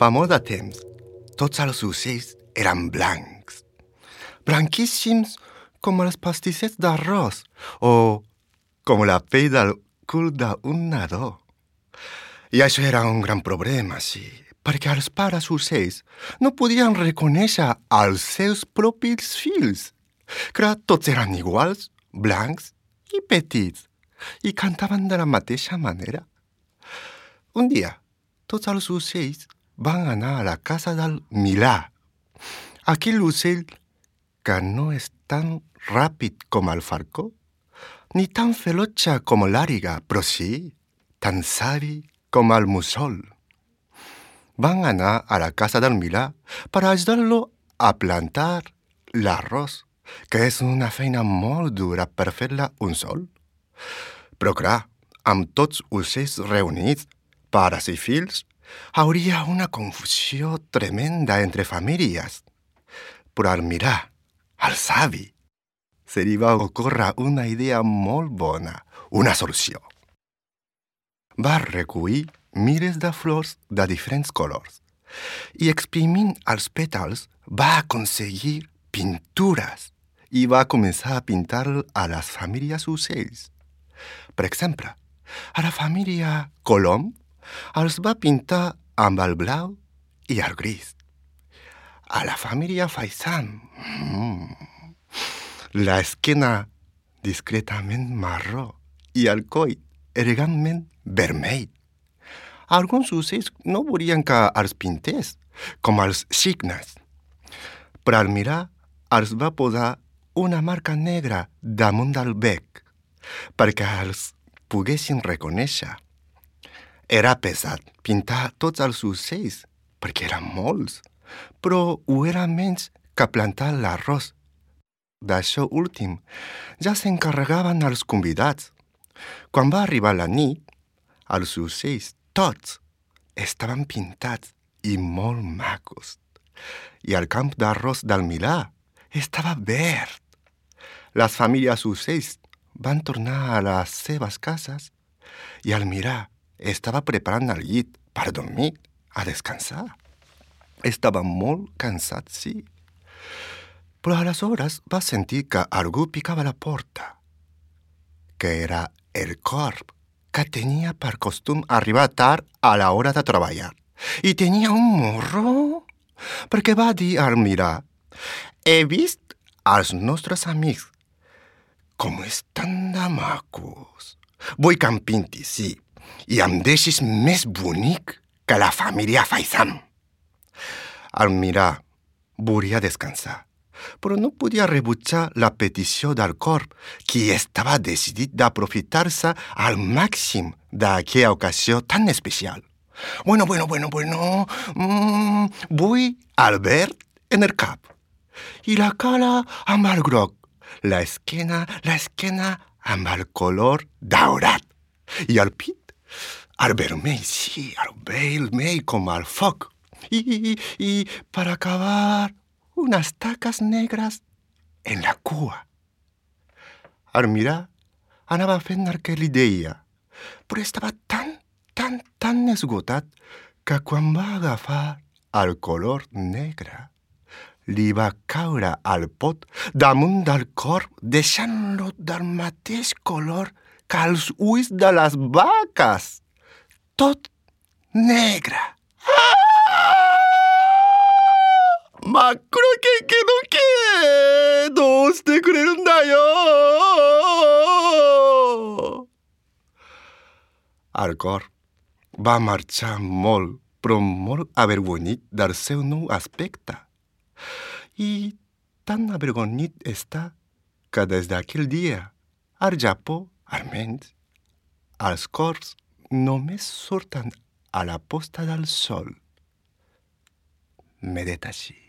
Fa molt de temps, tots els ocells eren blancs, blanquíssims com els pastissets d'arròs o com la pell del cul d'un nadó. I això era un gran problema, sí, perquè els pares ocells no podien reconèixer els seus propis fills, que tots eren iguals, blancs i petits, i cantaven de la mateixa manera. Un dia, tots els ocells van anar a la casa del Milà, aquell ocell que no és tan ràpid com el falcó, ni tan ferotge com l'àliga, però sí, tan savi com el mussol. Van anar a la casa del Milà per ajudar-lo a plantar l'arròs, que és una feina molt dura per fer-la un sol. Però clar, amb tots ocells reunits, pares i fills, hauria una confusió tremenda entre famílies. Però al Milà, el savi, se li va ocórrer una idea molt bona, una solució. Va recollir milers de flors de diferents colors i exprimint els pètals va aconseguir pintures i va començar a pintar a les famílies ocells. Per exemple, a la família Colom els va pintar amb el blau i el gris. A la família Faisán, l'esquena discretament marró i el coll elegantment vermell. Alguns ocells no volien que els pintés, com els cignes. Però al mirar els va posar una marca negra damunt del bec, perquè els poguessin reconèixer. Era pesat pintar tots els ocells, perquè eren molts, però ho era menys que plantar l'arròs. D'això últim ja s'encarregaven els convidats. Quan va arribar la nit, els ocells tots estaven pintats i molt macos. I el camp d'arròs del Milà estava verd. Les famílies ocells van tornar a les seves cases i el Milà estava preparant el llit per dormir, a descansar. Estava molt cansat, sí. Però aleshores va sentir que algú picava a la porta, que era el corb, que tenia per costum arribar tard a l'hora de treballar. I tenia un morro, perquè va dir al Milà: he vist els nostres amics, com estan de macos. Vull que em pintis, sí, i em deixis més bonic que la família Faisán. El Milà volia descansar, però no podia rebutjar la petició del corb, qui estava decidit d'aprofitar-se al màxim d'aquella ocasió tan especial. Bueno, vull el verd en el cap, i la cara amb el groc, l'esquena amb el color daurat, i el pit, el vermell, sí, el vermell com el foc, i per acabar, unes taques negres en la cua. El Milà anava fent el que li deia, però estava tan esgotat que quan va agafar el color negre, li va caure al pot damunt del corb, deixant-lo del mateix color que els ulls de les vaques, tot negre. Macro que no queどうしてくれるんだよ. El corb va marxar molt, però molt avergonyit del seu nou aspecte. I tan avergonyit està que des d'aquell dia, al Japó, almenys, els corbs només surten a la posta del sol. Me detachi.